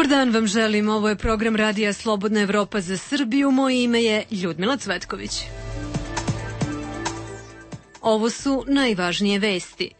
Dobar dan vam želim, ovo je program Radija Slobodna Evropa za Srbiju, moje ime je Ljudmila Cvetković. Ovo su najvažnije vesti.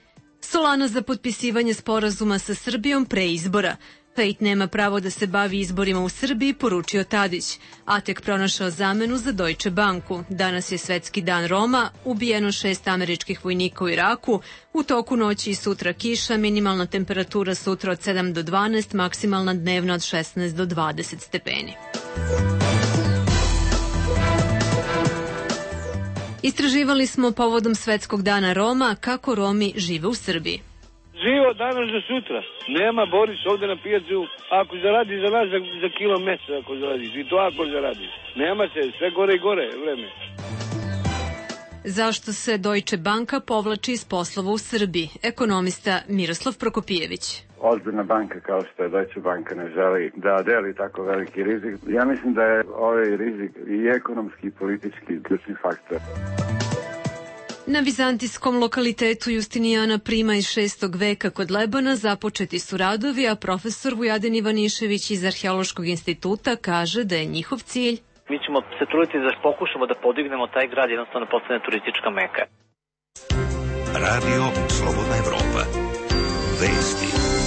Solana za potpisivanje sporazuma sa Srbijom pre izbora. Pejt nema pravo da se bavi izborima u Srbiji, poručio Tadić. Atek pronašao zamenu za Deutsche Banku. Danas je Svetski dan Roma, ubijeno 6 američkih vojnika u Iraku. U toku noći i sutra kiša, minimalna temperatura sutra od 7 do 12, maksimalna dnevna od 16 do 20 stepeni. Istraživali smo povodom Svetskog dana Roma kako Romi žive u Srbiji. Živo danas do sutra. Nema Boris ovde na pijacu. Ako zaradi za nas za kilo mesa, ako zaradiš. I to ako zaradiš. Nema se, sve gore i gore vreme. Zašto se Deutsche Banka povlači iz poslova u Srbiji? Ekonomista Miroslav Prokopijević. Ozbiljna banka kao što je Deutsche Banka ne želi da deli tako veliki rizik. Ja mislim da je ovaj rizik i ekonomski i politički ključni faktor. Na vizantijskom lokalitetu Justinijana Prima iz 6. veka kod Lebana započeti su radovi, a profesor Vujadin Ivanišević iz Arheološkog instituta kaže da je njihov cilj. Mi ćemo se truditi da pokušamo da podignemo taj grad, jednostavno postane turistička meka. Radio Slobodna Evropa. Vesti.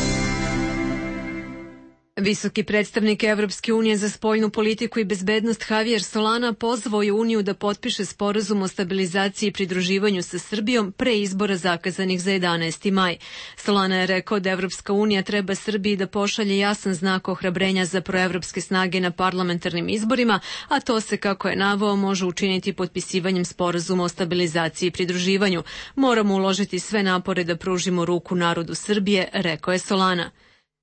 Visoki predstavnik Evropske unije za spoljnu politiku i bezbednost Javier Solana pozvao je Uniju da potpiše sporazum o stabilizaciji i pridruživanju sa Srbijom pre izbora zakazanih za 11. maj. Solana je rekao da Evropska unija treba Srbiji da pošalje jasan znak ohrabrenja za proevropske snage na parlamentarnim izborima, a to se, kako je naveo, može učiniti potpisivanjem sporazuma o stabilizaciji i pridruživanju. Moramo uložiti sve napore da pružimo ruku narodu Srbije, rekao je Solana.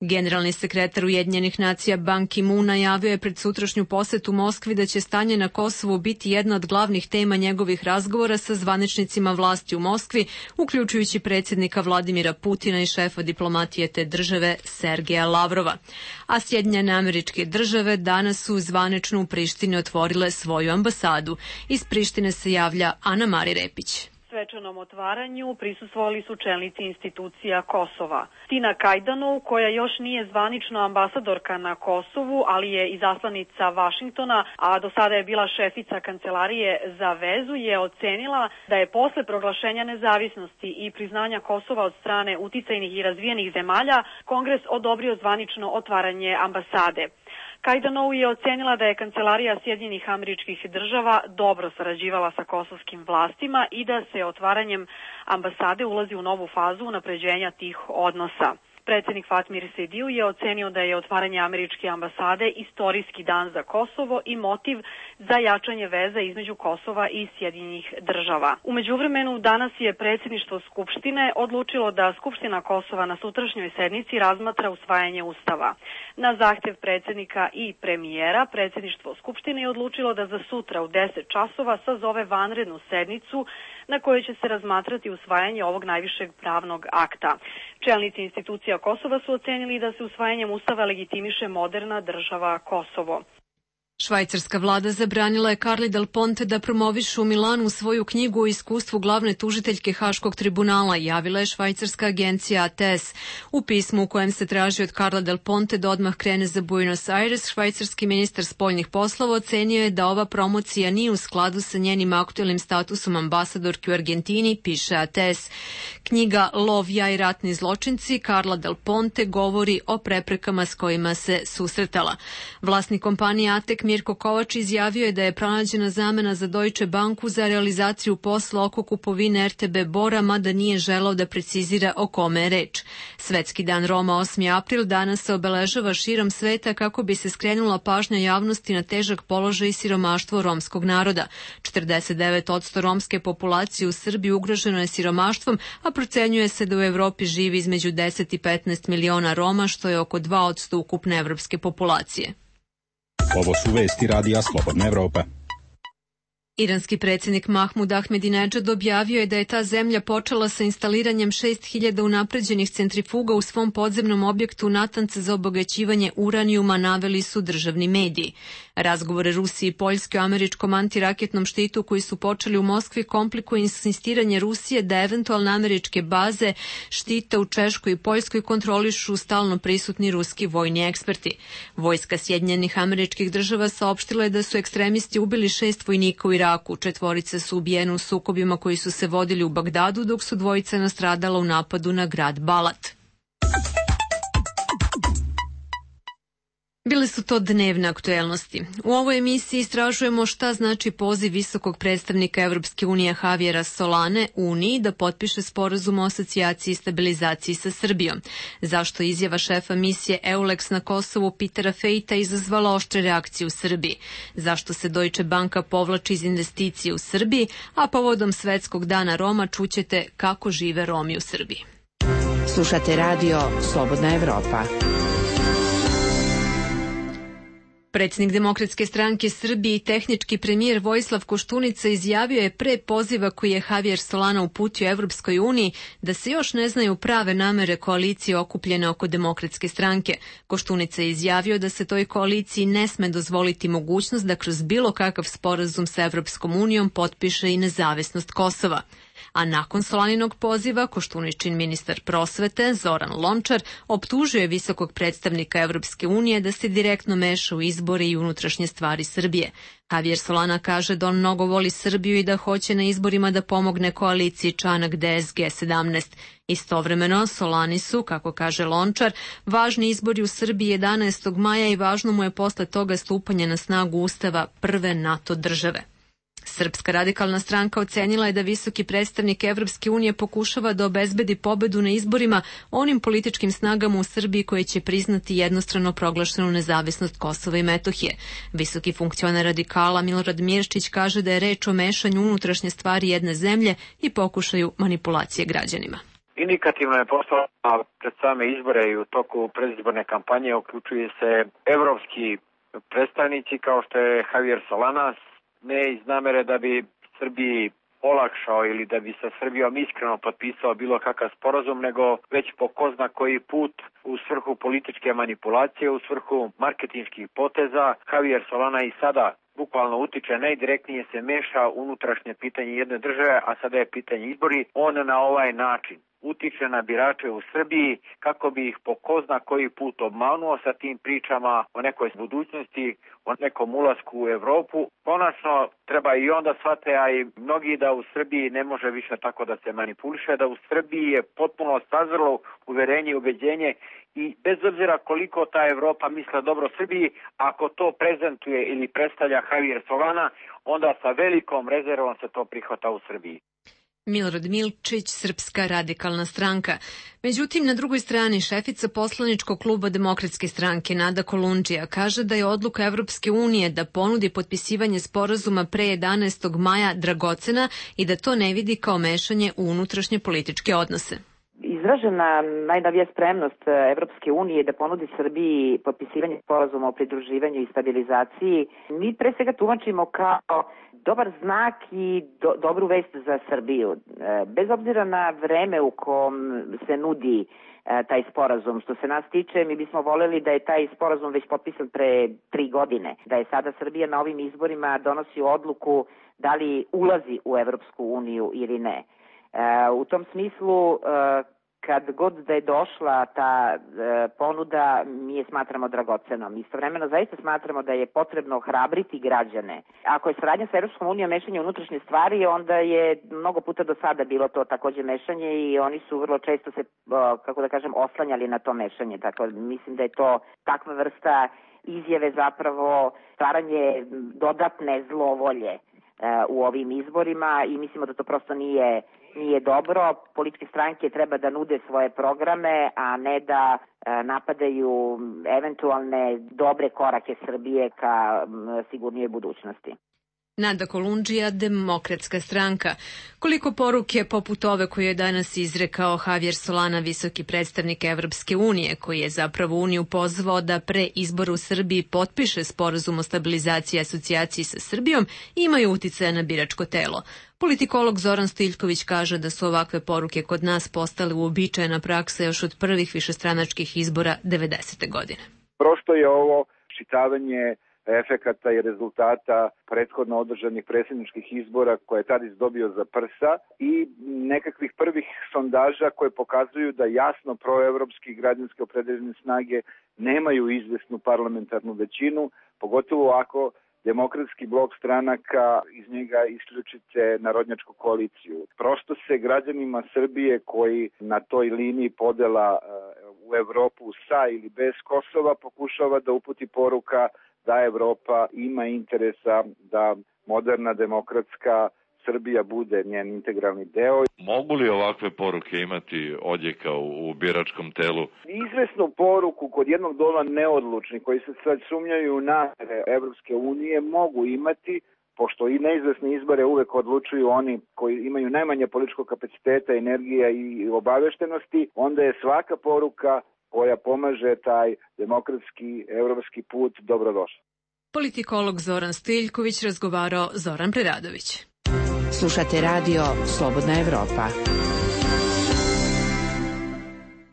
Generalni sekretar Ujedinjenih nacija Ban Ki-moon najavio je pred sutrašnju posetu Moskvi da će stanje na Kosovu biti jedna od glavnih tema njegovih razgovora sa zvaničnicima vlasti u Moskvi, uključujući predsjednika Vladimira Putina i šefa diplomatije te države Sergeja Lavrova. A Sjedinjene Američke Države danas su zvanično u Prištini otvorile svoju ambasadu. Iz Prištine se javlja Ana Mari Repić. Svečanom otvaranju prisustvovali su čelnici institucija Kosova. Tina Kajdanov, koja još nije zvanično ambasadorka na Kosovu, ali je izaslanica Vašingtona, a do sada je bila šefica Kancelarije za vezu, je ocenila da je posle proglašenja nezavisnosti i priznanja Kosova od strane uticajnih i razvijenih zemalja, Kongres odobrio zvanično otvaranje ambasade. Kajdanov je ocenila da je Kancelarija Sjedinjenih Američkih Država dobro sarađivala sa kosovskim vlastima i da se otvaranjem ambasade ulazi u novu fazu unapređenja tih odnosa. Predsjednik Fatmir Sediju je ocenio da je otvaranje američke ambasade istorijski dan za Kosovo i motiv za jačanje veza između Kosova i Sjedinjenih Država. U međuvremenu danas je predsjedništvo Skupštine odlučilo da Skupština Kosova na sutrašnjoj sednici razmatra usvajanje Ustava. Na zahtjev predsjednika i premijera, predsjedništvo Skupštine je odlučilo da za sutra u 10 časova sazove vanrednu sednicu na kojoj će se razmatrati usvajanje ovog najvišeg pravnog akta. Čelnici institucija Kosova su ocenili da se usvajanjem Ustava legitimiše moderna država Kosovo. Švajcarska vlada zabranila je Carli Del Ponte da promoviše u Milanu svoju knjigu o iskustvu glavne tužiteljke Haškog tribunala, javila je švajcarska agencija ATS. U pismu u kojem se traži od Carla Del Ponte da odmah krene za Buenos Aires, švajcarski ministar spoljnih poslova ocenio je da ova promocija nije u skladu sa njenim aktuelnim statusom ambasadorke u Argentini, piše ATS. Knjiga Lov, ja i ratni zločinci Carla Del Ponte govori o preprekama s kojima se susretala. Vlasnik kompanije ATEK Mirko Kovač izjavio je da je pronađena zamena za Deutsche Banku za realizaciju posla oko kupovine RTB Bora, mada nije želao da precizira o kome je reč. Svetski dan Roma 8. april danas se obeležava širom sveta kako bi se skrenula pažnja javnosti na težak položaj i siromaštvo romskog naroda. 49% romske populacije u Srbiji ugroženo je siromaštvom, a procenjuje se da u Evropi živi između 10 i 15 miliona Roma, što je oko 2% ukupne evropske populacije. Ovo su vesti Radija Slobodna Evropa. Iranski predsjednik Mahmud Ahmedinedžad objavio je da je ta zemlja počela sa instaliranjem 6000 unapređenih centrifuga u svom podzemnom objektu Natanz za obogaćivanje uranijuma, naveli su državni mediji. Razgovore Rusije i Poljske o američkom antiraketnom štitu koji su počeli u Moskvi komplikuje insistiranje Rusije da eventualne američke baze štita u Češkoj i Poljskoj kontrolišu stalno prisutni ruski vojni eksperti. Vojska Sjedinjenih Američkih Država saopštila je da su ekstremisti ubili 6 vojnika u Iraku, 4 su ubijeni u sukobima koji su se vodili u Bagdadu, dok su 2 nastradala u napadu na grad Balat. Bile su to dnevne aktuelnosti. U ovoj emisiji istražujemo šta znači poziv visokog predstavnika Evropske unije Javiera Solane Uniji da potpiše sporazum o asocijaciji i stabilizaciji sa Srbijom. Zašto izjava šefa misije EULEX na Kosovu Petera Fejta izazvala oštre reakcije u Srbiji? Zašto se Deutsche Banka povlači iz investicije u Srbiji, a povodom Svetskog dana Roma čućete kako žive Romi u Srbiji. Slušate radio Slobodna Evropa. Predsjednik Demokratske stranke Srbije i tehnički premijer Vojislav Koštunica izjavio je pre poziva koji je Javier Solana uputio Evropskoj uniji da se još ne znaju prave namere koalicije okupljene oko Demokratske stranke. Koštunica je izjavio da se toj koaliciji ne sme dozvoliti mogućnost da kroz bilo kakav sporazum sa Evropskom unijom potpiše i nezavisnost Kosova. A nakon Solaninog poziva, Koštuničin ministar prosvete Zoran Lončar optužio je visokog predstavnika Evropske unije da se direktno meša u izbore i unutrašnje stvari Srbije. Javier Solana kaže da on mnogo voli Srbiju i da hoće na izborima da pomogne koaliciji Čanak DSG 17. Istovremeno, Solani su, kako kaže Lončar, važni izbori u Srbiji 11. maja i važno mu je posle toga stupanje na snagu Ustava prve NATO države. Srpska radikalna stranka ocenila je da visoki predstavnik Evropske unije pokušava da obezbedi pobedu na izborima onim političkim snagama u Srbiji koje će priznati jednostrano proglašenu nezavisnost Kosova i Metohije. Visoki funkcioner radikala Milorad Mirčić kaže da je reč o mešanju unutrašnje stvari jedne zemlje i pokušaju manipulacije građanima. Indikativno je postalo pred same izbore i u toku predizborne kampanje uključuju se evropski predstavnici kao što je Javier Solana, ne iz namere da bi Srbiji olakšao ili da bi sa Srbijom iskreno potpisao bilo kakav sporazum, nego već po ko zna koji put u svrhu političke manipulacije, u svrhu marketinških poteza. Javier Solana i sada bukvalno utiče, najdirektnije se meša unutrašnje pitanje jedne države, a sada je pitanje izbori. On na ovaj način utiče na birače u Srbiji kako bi ih po ko zna koji put obmanuo sa tim pričama o nekoj budućnosti, o nekom ulasku u Evropu. Konačno treba i onda shvate, a i mnogi, da u Srbiji ne može više tako da se manipuliše, da u Srbiji je potpuno sazrelo uverenje i ubeđenje i bez obzira koliko ta Evropa misle dobro Srbiji, ako to prezentuje ili predstavlja Javier Solana, onda sa velikom rezervom se to prihvata u Srbiji. Milorad Milčić, Srpska radikalna stranka. Međutim, na drugoj strani šefica poslaničkog kluba Demokratske stranke Nada Kolundžija kaže da je odluka Evropske unije da ponudi potpisivanje sporazuma pre 11. maja dragocena i da to ne vidi kao mešanje u unutrašnje političke odnose. Izražena najnovija spremnost Evropske unije da ponudi Srbiji potpisivanje sporazuma o pridruživanju i stabilizaciji, mi pre svega tumačimo kao dobar znak i dobru vest za Srbiju. Bez obzira na vreme u kom se nudi taj sporazum, što se nas tiče, mi bismo voljeli da je taj sporazum već potpisan pre 3 godine, da je sada Srbija na ovim izborima donosi odluku da li ulazi u Evropsku uniju ili ne. U tom smislu, kad god da je došla ta ponuda, mi je smatramo dragocenom. Istovremeno zaista smatramo da je potrebno hrabriti građane. Ako je saradnja sa Evropskom unijom mešanje unutrašnje stvari, onda je mnogo puta do sada bilo to takođe mešanje i oni su vrlo često se, kako da kažem, oslanjali na to mešanje. Tako mislim da je to takva vrsta izjave zapravo stvaranje dodatne zlovolje u ovim izborima i mislimo da to prosto nije dobro. Političke stranke treba da nude svoje programe, a ne da napadaju eventualne dobre korake Srbije ka sigurnijoj budućnosti. Nada Kolundžija, Demokratska stranka. Koliko poruke poput ove koju je danas izrekao Javier Solana, visoki predstavnik Evropske unije, koji je zapravo Uniju pozvao da pre izbora u Srbiji potpiše sporazum o stabilizaciji i asocijaciji sa Srbijom, imaju uticaja na biračko telo. Politikolog Zoran Stiljković kaže da su ovakve poruke kod nas postale uobičajena praksa još od prvih višestranačkih izbora 90. godine. Prosto je ovo čitavanje efekata i rezultata prethodno održanih predsjedničkih izbora koje je Tadić dobio za prsa i nekakvih prvih sondaža koje pokazuju da jasno proevropski građanske opredeljene snage nemaju izvesnu parlamentarnu većinu, pogotovo ako demokratski blok stranaka iz njega isključite narodnjačku koaliciju. Prosto se građanima Srbije koji na toj liniji podela u Evropu sa ili bez Kosova pokušava da uputi poruka da Evropa ima interesa da moderna demokratska Srbija bude njen integralni deo. Mogu li ovakve poruke imati odjeka u biračkom telu? Izvesnu poruku kod jednog dola neodlučnih koji se sad sumnjaju u namere Evropske unije mogu imati, pošto i neizvesne izbore uvek odlučuju oni koji imaju najmanje političkog kapaciteta, energija i obaveštenosti, onda je svaka poruka koja pomaže taj demokratski evropski put dobrodošla. Politikolog Zoran Stiljković razgovarao Zoran Preradović. Slušate radio Slobodna Evropa.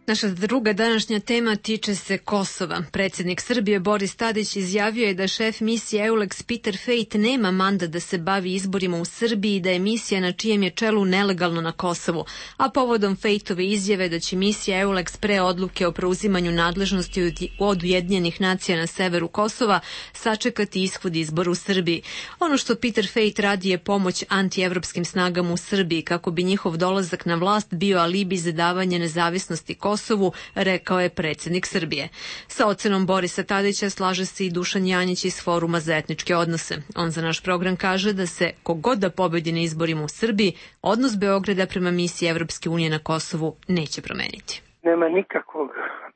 Naša druga današnja tema tiče se Kosova. Predsjednik Srbije Boris Tadić izjavio je da šef misije EULEX Peter Fejt nema mandat da se bavi izborima u Srbiji i da je misija na čijem je čelu nelegalno na Kosovu, a povodom Fejtove izjave da će misija EULEX pre odluke o preuzimanju nadležnosti od Ujedinjenih nacija na severu Kosova sačekati ishod izbora u Srbiji. Ono što Peter Fejt radi je pomoć antievropskim snagama u Srbiji kako bi njihov dolazak na vlast bio alibi za davanje nezavisnosti Kosovu, rekao je predsjednik Srbije. Sa ocenom Borisa Tadića slaže se i Dušan Janjić iz Foruma za etničke odnose. On za naš program kaže da se kogod da pobedi na izborima u Srbiji, odnos Beograda prema misiji Evropske unije na Kosovu neće promeniti. Nema nikakvog,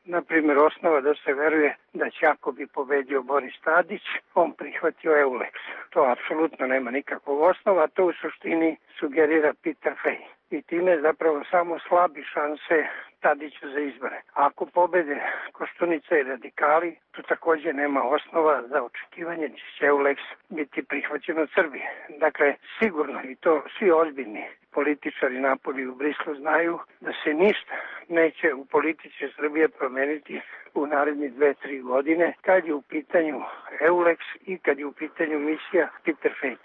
na primjer, osnova da se veruje da će ako bi pobedio Boris Tadić, on prihvatio EULEX. To apsolutno nema nikakvog osnova, to u suštini sugerira Peter Fejt. I time zapravo samo slabi šanse Tadiću za izbore. Ako pobede Koštunica i radikali, tu također nema osnova za očekivanje da će EULEX biti prihvaćen od Srbije. Dakle, sigurno, i to svi ozbiljni političari napolju u Brislu znaju, da se ništa neće u politici Srbije promeniti u narednih 2-3 godine kad je u pitanju EULEX i kad je u pitanju misija Peter Fejt.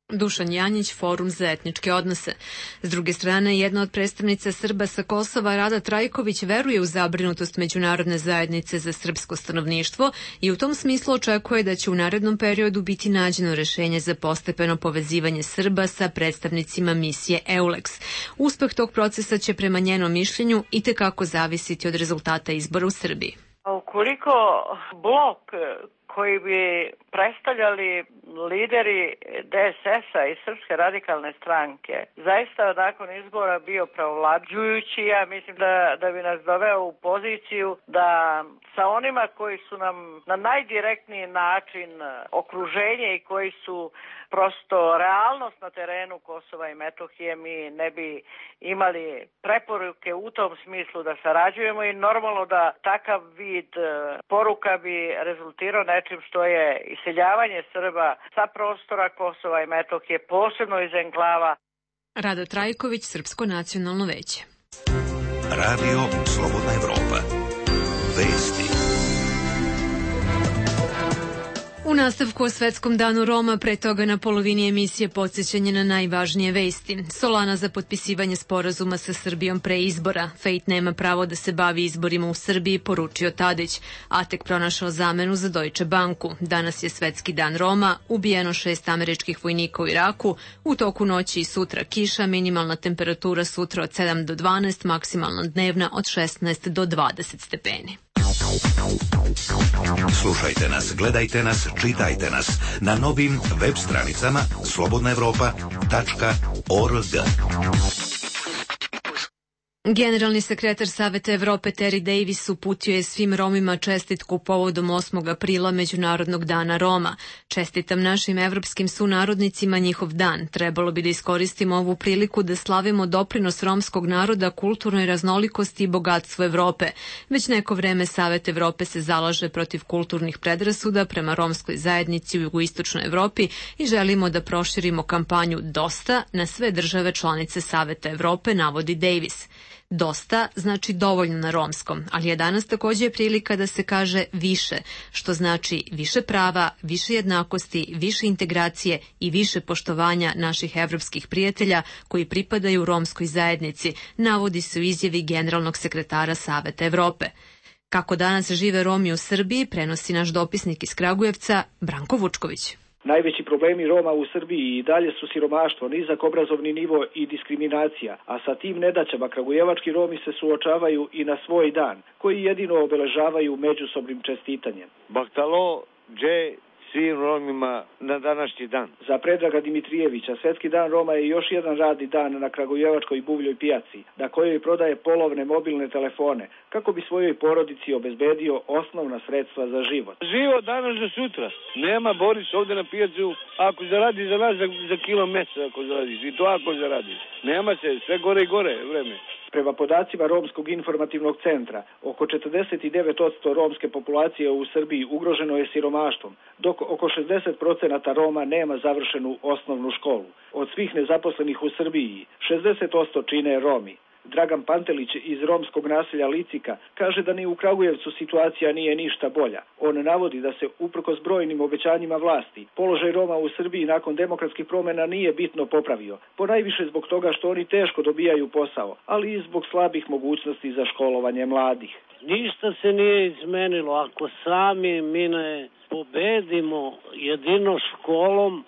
Dušan Janjić, Forum za etničke odnose. S druge strane, jedna od predstavnica Srba sa Kosova, Rada Trajković, veruje u zabrinutost međunarodne zajednice za srpsko stanovništvo i u tom smislu očekuje da će u narednom periodu biti nađeno rešenje za postepeno povezivanje Srba sa predstavnicima misije EULEX. Uspeh tog procesa će prema njenom mišljenju itekako zavisiti od rezultata izbora u Srbiji. Ukoliko blok koji bi predstavljali lideri DSS-a i Srpske radikalne stranke zaista nakon izbora bio pravovlađujući, ja mislim da bi nas doveo u poziciju da sa onima koji su nam na najdirektniji način okruženje i koji su prosto realnost na terenu Kosova i Metohije, mi ne bi imali preporuke u tom smislu da sarađujemo i normalno da takav vid poruka bi rezultirao nečim što je iseljavanje Srba sa prostora Kosova i Metohije, posebno iz enklava. Rada Trajković, Srpsko nacionalno veće. Radio Slobodna Evropa. Vesti. U nastavku o Svetskom danu Roma, pre toga na polovini emisije podsjećanje na najvažnije vesti. Solana za potpisivanje sporazuma sa Srbijom pre izbora. Fejt nema pravo da se bavi izborima u Srbiji, poručio Tadić. Atek pronašao zamenu za Deutsche Banku. Danas je Svetski dan Roma, ubijeno 6 američkih vojnika u Iraku. U toku noći i sutra kiša, minimalna temperatura sutra od 7 do 12, maksimalna dnevna od 16 do 20 stepeni. Slušajte nas, gledajte nas, čitajte nas na novim web stranicama slobodnaevropa.org. Generalni sekretar Saveta Evrope Terry Davis uputio je svim Romima čestitku povodom 8. aprila Međunarodnog dana Roma. Čestitam našim evropskim sunarodnicima njihov dan. Trebalo bi da iskoristimo ovu priliku da slavimo doprinos romskog naroda kulturnoj raznolikosti i bogatstvu Evrope. Već neko vreme Savet Evrope se zalaže protiv kulturnih predrasuda prema romskoj zajednici u jugoistočnoj Evropi i želimo da proširimo kampanju Dosta na sve države članice Saveta Evrope, navodi Davis. Dosta znači dovoljno na romskom, ali je danas također prilika da se kaže više, što znači više prava, više jednakosti, više integracije i više poštovanja naših evropskih prijatelja koji pripadaju romskoj zajednici, navodi se u izjavi generalnog sekretara Saveta Evrope. Kako danas žive Romi u Srbiji, prenosi naš dopisnik iz Kragujevca, Branko Vučković. Najveći problemi Roma u Srbiji i dalje su siromaštvo, nizak obrazovni nivo i diskriminacija, a sa tim nedaćama kragujevački Romi se suočavaju i na svoj dan, koji jedino obeležavaju međusobnim čestitanjem. Bahtalo, dže, svim Romima na današnji dan. Za Predraga Dimitrijevića Svetski dan Roma je još jedan radni dan na kragujevačkoj buvljoj pijaci, na kojoj prodaje polovne mobilne telefone, kako bi svojoj porodici obezbedio osnovna sredstva za život. Život danas do sutra. Nema Boris ovde na pijacu, ako zaradi za nas za kilo mesa, ako zaradiš, i to ako zaradiš. Nema se, sve gore i gore vreme. Prema podacima Romskog informativnog centra, oko 49% romske populacije u Srbiji ugroženo je siromaštvom, dok oko 60% Roma nema završenu osnovnu školu. Od svih nezaposlenih u Srbiji, 60% čine Romi. Dragan Pantelić iz romskog naselja Licika kaže da ni u Kragujevcu situacija nije ništa bolja. On navodi da se uprkos brojnim obećanjima vlasti, položaj Roma u Srbiji nakon demokratskih promjena nije bitno popravio, ponajviše zbog toga što oni teško dobijaju posao, ali i zbog slabih mogućnosti za školovanje mladih. Ništa se nije izmenilo. Ako sami mi ne pobedimo jedino školom,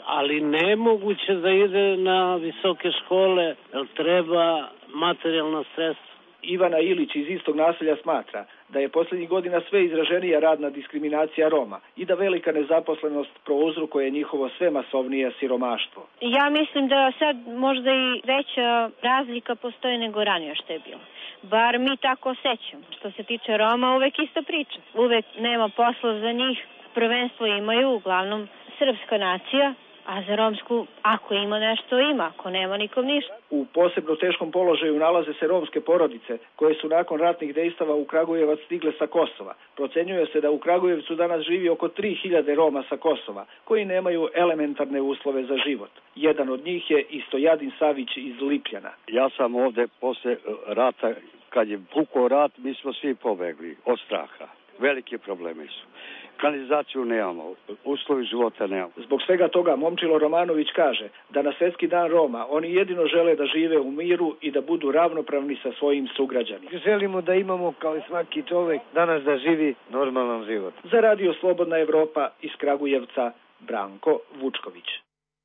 ali nemoguće da ide na visoke škole, jer treba materijalna sredstva. Ivana Ilić iz istog naselja smatra da je posljednjih godina sve izraženija radna diskriminacija Roma i da velika nezaposlenost prouzrokuje njihovo sve masovnije siromaštvo. Ja mislim da sad možda i veća razlika postoji nego ranije što je bilo. Bar mi tako osjećamo. Što se tiče Roma, uvek ista priča. Uvek nema posla za njih. Prvenstvo imaju uglavnom srpska nacija, a za romsku, ako ima nešto, ima, ako nema, nikom ništa. U posebno teškom položaju nalaze se romske porodice, koje su nakon ratnih dejstava u Kragujevac stigle sa Kosova. Procenjuje se da u Kragujevcu danas živi oko 3000 Roma sa Kosova, koji nemaju elementarne uslove za život. Jedan od njih je i Stojadin Savić iz Lipljana. Ja sam ovde posle rata, kad je pukao rat, mi smo svi pobegli od straha. Velike probleme su. Kanalizaciju nemamo, uslovi života nemamo. Zbog svega toga Momčilo Romanović kaže da na Svetski dan Roma oni jedino žele da žive u miru i da budu ravnopravni sa svojim sugrađanima. Želimo da imamo, kao i svaki čovek, danas da živi normalan život. Za Radio Slobodna Evropa iz Kragujevca, Branko Vučković.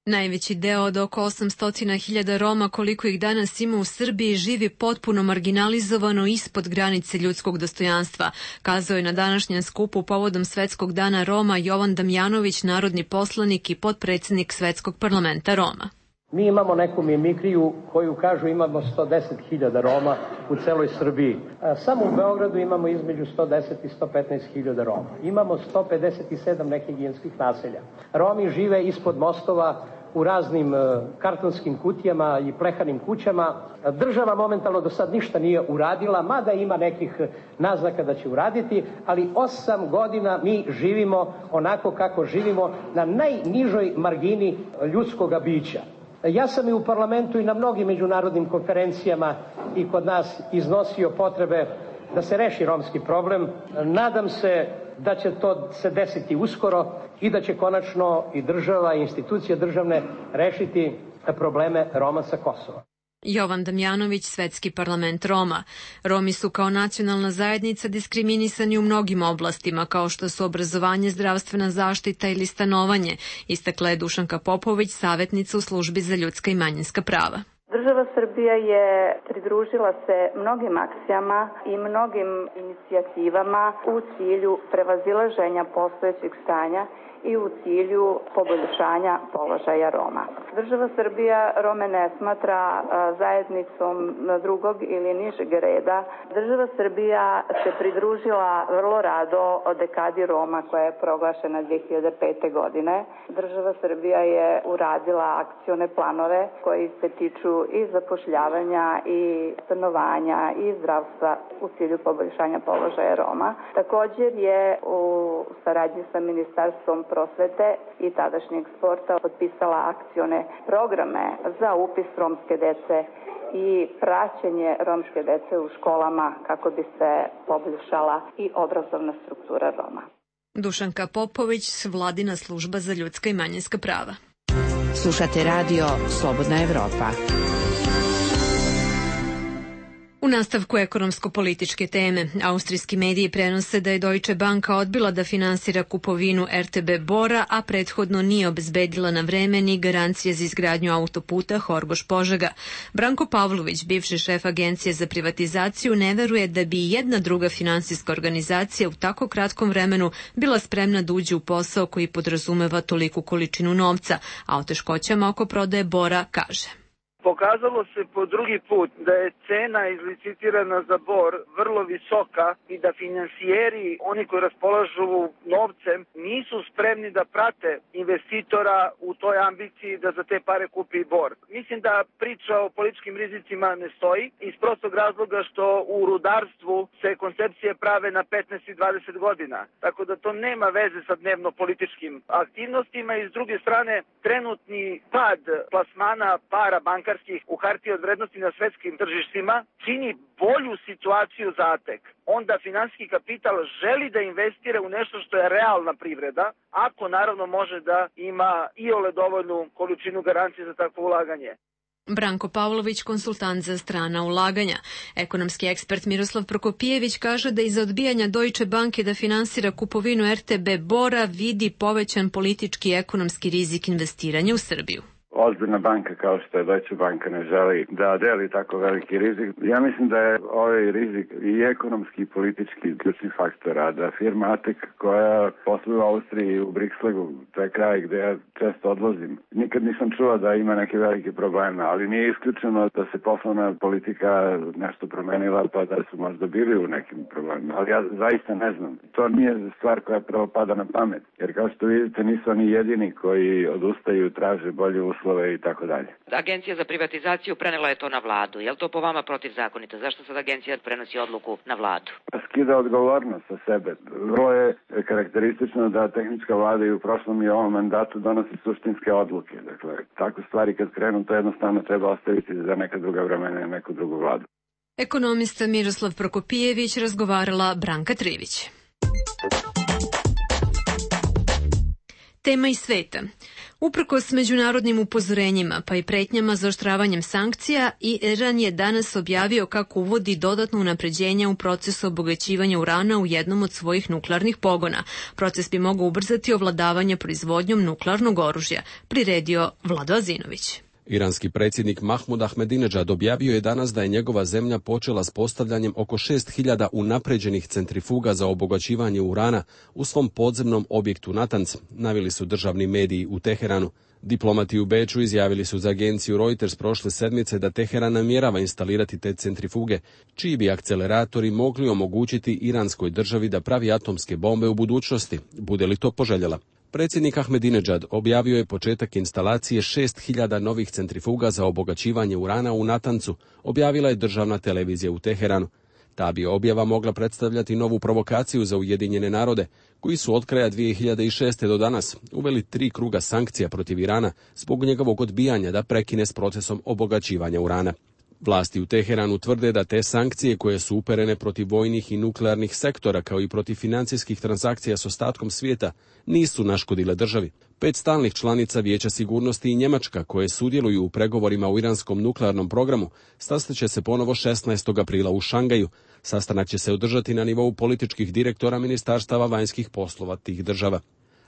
Najveći deo od oko 800.000 Roma koliko ih danas ima u Srbiji živi potpuno marginalizovano ispod granice ljudskog dostojanstva, kazao je na današnjem skupu povodom Svetskog dana Roma Jovan Damjanović, narodni poslanik i potpredsjednik Svetskog parlamenta Roma. Mi imamo neku mimikriju koju kažu imamo 110.000 Roma u celoj Srbiji. Samo u Beogradu imamo između 110 i 115.000 Roma. Imamo 157 nehigijenskih naselja. Romi žive ispod mostova u raznim kartonskim kutijama i plehanim kućama. Država momentalno do sad ništa nije uradila, mada ima nekih naznaka da će uraditi, ali 8 godina mi živimo onako kako živimo na najnižoj margini ljudskoga bića. Ja sam i u parlamentu i na mnogim međunarodnim konferencijama i kod nas iznosio potrebe da se reši romski problem. Nadam se da će to se desiti uskoro i da će konačno i država i institucije državne rešiti probleme Roma sa Kosova. Jovan Damjanović, Svetski parlament Roma. Romi su kao nacionalna zajednica diskriminisani u mnogim oblastima, kao što su obrazovanje, zdravstvena zaštita ili stanovanje, istakla je Dušanka Popović, savjetnica u službi za ljudska i manjinska prava. Država Srbija je pridružila se mnogim akcijama i mnogim inicijativama u cilju prevazilaženja postojećeg stanja i u cilju poboljšanja položaja Roma. Država Srbija Rome ne smatra zajednicom drugog ili nižeg reda. Država Srbija se pridružila vrlo rado o dekadi Roma koja je proglašena 2005. godine. Država Srbija je uradila akcione planove koji se tiču i zapošljavanja i stanovanja i zdravstva u cilju poboljšanja položaja Roma. Također je u saradnji sa Ministarstvom prosvete i tadašnjeg sporta potpisala akcione programe za upis romske dece i praćenje romske dece u školama kako bi se poboljšala i obrazovna struktura Roma. Dušanka Popović, Vladina služba za ljudska i manjinska prava. Slušate radio Slobodna Evropa. U nastavku ekonomsko-političke teme, austrijski mediji prenose da je Deutsche Banka odbila da finansira kupovinu RTB Bora, a prethodno nije obezbedila na vreme ni garancije za izgradnju autoputa Horgoš-Požega. Branko Pavlović, bivši šef Agencije za privatizaciju, ne veruje da bi jedna druga finansijska organizacija u tako kratkom vremenu bila spremna da uđe u posao koji podrazumeva toliku količinu novca, a o teškoćama oko prodaje Bora kaže. Pokazalo se po drugi put da je cena izlicitirana za Bor vrlo visoka i da finansijeri, oni koji raspolažu novcem, nisu spremni da prate investitora u toj ambiciji da za te pare kupi Bor. Mislim da priča o političkim rizicima ne stoji iz prostog razloga što u rudarstvu se koncepcije prave na 15 i 20 godina. Tako da to nema veze sa dnevno političkim aktivnostima i s druge strane trenutni pad plasmana para bankarskih u hartije od vrednosti na svetskim tržištima čini bolju situaciju za ATEK. Onda finansijski kapital želi da investira u nešto što je realna privreda, ako naravno može da ima iole dovoljnu količinu garancije za takvo ulaganje. Branko Pavlović, konsultant za strana ulaganja. Ekonomski ekspert Miroslav Prokopijević kaže da iza odbijanja Deutsche Banke da finansira kupovinu RTB Bora vidi povećan politički i ekonomski rizik investiranja u Srbiju. Ozbiljna banka kao što je Deutsche Banka ne želi da deli tako veliki rizik. Ja mislim da je ovaj rizik i ekonomski i politički ključni faktor, a da firma ATEK koja posluje u Austriji i u Brixlegu, to je kraj gde ja često odlazim. Nikad nisam čuo da ima neke velike probleme, ali nije isključeno da se poslovna politika nešto promenila pa da su možda bili u nekim problemima. Ali ja zaista ne znam. To nije stvar koja prvo pada na pamet. Jer kao što vidite nisu oni jedini koji odustaju, traže bolje uslove i tako dalje. Agencija za privatizaciju prenela je to na vladu. Je li to po vama protivzakonito? Zašto sad agencija prenosi odluku na vladu? Skida odgovornost sa sebe. Vrlo je karakteristično da tehnička vlada i u prošlom i ovom mandatu donosi suštinske odluke. Dakle, takve stvari kad krenu, to jednostavno treba ostaviti za neka druga vremena i neku drugu vladu. Ekonomista Miroslav Prokopijević, razgovarala Branka Trivić. Tema iz sveta. Uprkos međunarodnim upozorenjima pa i pretnjama zaoštravanjem sankcija, Iran je danas objavio kako uvodi dodatno unapređenje u procesu obogaćivanja urana u jednom od svojih nuklearnih pogona. Proces bi mogao ubrzati ovladavanje proizvodnjom nuklearnog oružja, priredio Vlado Azinović. Iranski predsjednik Mahmud Ahmadinejad objavio je danas da je njegova zemlja počela s postavljanjem oko 6000 unapređenih centrifuga za obogaćivanje urana u svom podzemnom objektu Natanz, naveli su državni mediji u Teheranu. Diplomati u Beču izjavili su za agenciju Reuters prošle sedmice da Teheran namjerava instalirati te centrifuge, čiji bi akceleratori mogli omogućiti iranskoj državi da pravi atomske bombe u budućnosti, bude li to poželjela. Predsjednik Ahmadinejad objavio je početak instalacije 6000 novih centrifuga za obogaćivanje urana u Natancu, objavila je državna televizija u Teheranu. Ta bi objava mogla predstavljati novu provokaciju za Ujedinjene narode, koji su od kraja 2006. do danas uveli 3 kruga sankcija protiv Irana zbog njegovog odbijanja da prekine s procesom obogaćivanja urana. Vlasti u Teheranu tvrde da te sankcije koje su uperene protiv vojnih i nuklearnih sektora kao i protiv financijskih transakcija s ostatkom svijeta nisu naškodile državi. 5 stalnih članica Vijeća sigurnosti i Njemačka koje sudjeluju u pregovorima u iranskom nuklearnom programu sastaće se ponovo 16. aprila u Šangaju. Sastanak će se održati na nivou političkih direktora ministarstava vanjskih poslova tih država.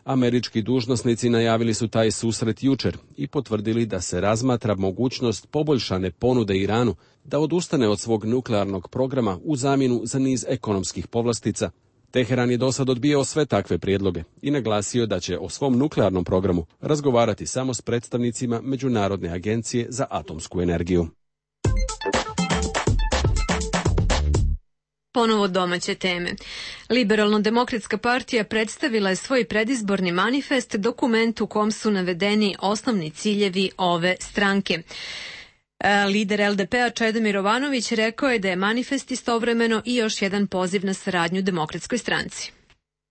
Američki dužnosnici najavili su taj susret jučer i potvrdili da se razmatra mogućnost poboljšane ponude Iranu da odustane od svog nuklearnog programa u zamjenu za niz ekonomskih povlastica. Teheran je dosad odbijao sve takve prijedloge i naglasio da će o svom nuklearnom programu razgovarati samo s predstavnicima Međunarodne agencije za atomsku energiju. Ponovo domaće teme. Liberalno-demokratska partija predstavila je svoj predizborni manifest, dokument u kom su navedeni osnovni ciljevi ove stranke. Lider LDP-a Čedomir Jovanović rekao je da je manifest istovremeno i još jedan poziv na saradnju Demokratskoj stranci.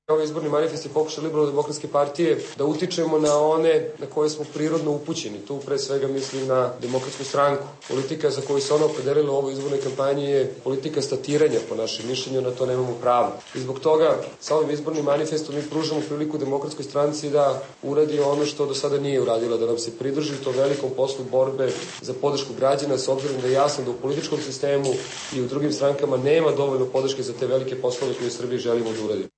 Ovaj izborni manifest je pokušaj Liberalno-demokratske partije da utičemo na one na koje smo prirodno upućeni. Tu pre svega mislim na Demokratsku stranku. Politika za koju se ona opredelila u ovoj izbornoj kampanji je politika statiranja, po našem mišljenju, na to nemamo pravo. I zbog toga sa ovim izbornim manifestom mi pružamo priliku Demokratskoj stranci da uradi ono što do sada nije uradila, da nam se pridruži to velikom poslu borbe za podršku građana, s obzirom da je jasno da u političkom sistemu i u drugim strankama nema dovoljno podrške za te velike poslove koje u Srbiji želimo da uradimo.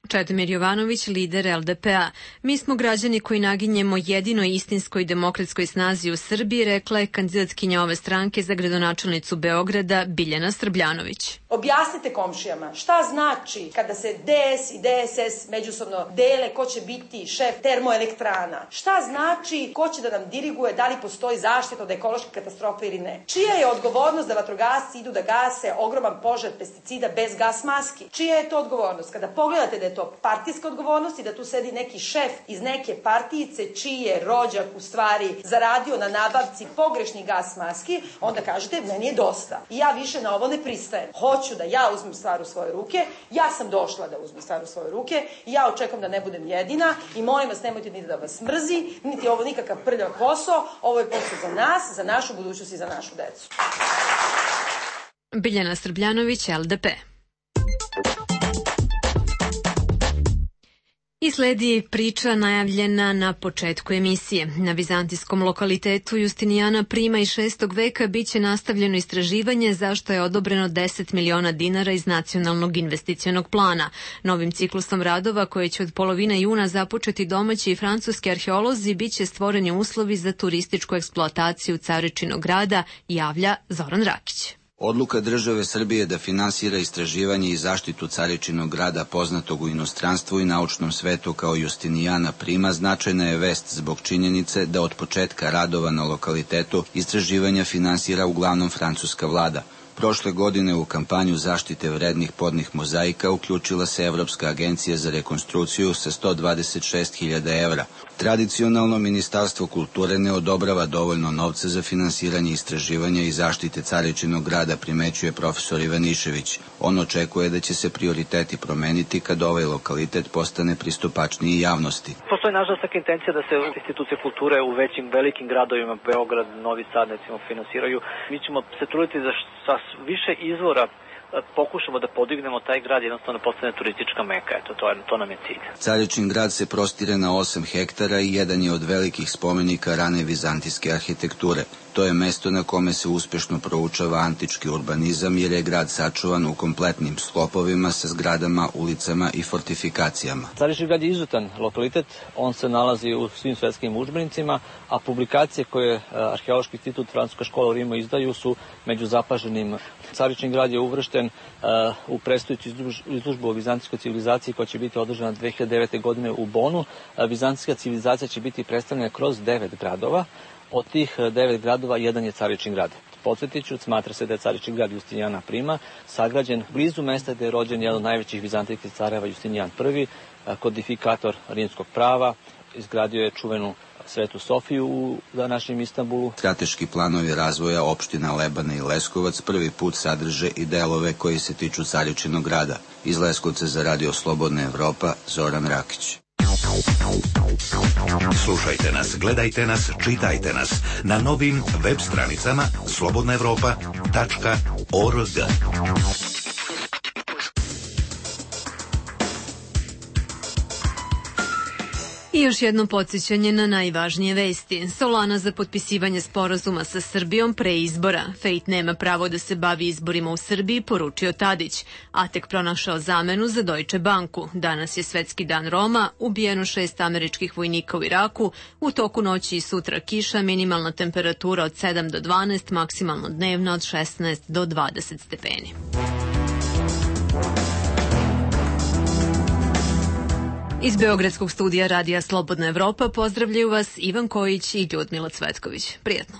Čedomir Jovanović, lider LDP-a. Mi smo građani koji naginjemo jedinoj istinskoj demokratskoj snazi u Srbiji, rekla je kandidatkinja ove stranke za gradonačelnicu Beograda Biljana Srbljanović. Objasnite komšijama šta znači kada se DS i DSS međusobno dele ko će biti šef termoelektrana. Šta znači ko će da nam diriguje da li postoji zaštita od ekološke katastrofe ili ne. Čija je odgovornost da vatrogasci idu da gase ogroman požar pesticida bez gas maski? Čija je to odgovornost? Kada pogledate da je to partijska odgovornost i da tu sedi neki šef iz neke partijice čiji je rođak u stvari zaradio na nabavci pogrešnih gas maski, onda kažete meni je dosta. I ja više na ovo ne pristajem. Hoću da ja uzmem stvar u svoje ruke, ja sam došla da uzmem stvar u svoje ruke i ja očekujem da ne budem jedina i molim vas nemojte niti da vas mrzi, niti ovo nikakav prljav posao, ovo je posao za nas, za našu budućnost i za našu decu. Biljana Srbljanović, LDP. I sledi priča najavljena na početku emisije. Na vizantijskom lokalitetu Justinijana Prima iz 6. veka biće nastavljeno istraživanje zašto je odobreno 10 miliona dinara iz nacionalnog investicionog plana. Novim ciklusom radova koje će od polovine juna započeti domaći i francuski arheolozi biće stvoreni uslovi za turističku eksploataciju Caričinog grada, javlja Zoran Rakić. Odluka države Srbije da finansira istraživanje i zaštitu Caričinog grada poznatog u inostranstvu i naučnom svetu kao Justinijana Prima značajna je vest zbog činjenice da od početka radova na lokalitetu istraživanja finansira uglavnom francuska vlada. Prošle godine u kampanju zaštite vrednih podnih mozaika uključila se Evropska agencija za rekonstrukciju sa 126.000 evra. Tradicionalno Ministarstvo kulture ne odobrava dovoljno novca za finansiranje istraživanja i zaštite Caričinog grada, primećuje profesor Ivanišević. On očekuje da će se prioriteti promeniti kad ovaj lokalitet postane pristupačniji javnosti. Postoji nažalost taka intencija da se institucije kulture u velikim gradovima, Beograd, Novi Sad, recimo, finansiraju. Mi ćemo se truditi da sa više izvora pokušamo da podignemo taj grad, jednostavno postane turistička meka. Eto, to nam je cilj. Caričin grad se prostire na 8 hektara i jedan je od velikih spomenika rane vizantijske arhitekture. To je mesto na kome se uspešno proučava antički urbanizam jer je grad sačuvan u kompletnim sklopovima sa zgradama, ulicama i fortifikacijama. Caričin grad je izuzetan lokalitet, on se nalazi u svim svetskim udžbenicima, a publikacije koje Arheološki institut Francuska škola u Rimu izdaju su među zapaženim. Caričin grad je uvršten u predstojeću izložbu o vizantijskoj civilizaciji koja će biti održana 2009. godine u Bonu. Vizantijska civilizacija će biti predstavljena kroz 9 gradova. Od tih 9 gradova, jedan je Caričin grad. Podsjetiću, smatra se da je Caričin grad Justinijana Prima sagrađen blizu mesta gde je rođen jedan od najvećih vizantijskih careva Justinijan I, kodifikator rimskog prava, izgradio je čuvenu Svetu Sofiju u današnjem Istanbulu. Strateški planovi razvoja opština Lebane i Leskovac prvi put sadrže i delove koji se tiču Caričinog grada. Iz Leskovca za Radio Slobodna Evropa, Zoran Rakić. Slušajte nas, gledajte nas, čitajte nas na novim web stranicama slobodnaevropa.org. I još jedno podsjećanje na najvažnije vesti. Solana za potpisivanje sporazuma sa Srbijom pre izbora. Fejt nema pravo da se bavi izborima u Srbiji, poručio Tadić. Atek pronašao zamenu za Deutsche Banku. Danas je Svetski dan Roma, ubijeno 6 američkih vojnika u Iraku. U toku noći i sutra kiša, minimalna temperatura od 7 do 12, maksimalno dnevna od 16 do 20 stepeni. Iz Beogradskog studija Radija Slobodna Evropa pozdravljaju vas Ivan Kojić i Ljudmila Cvetković. Prijetno.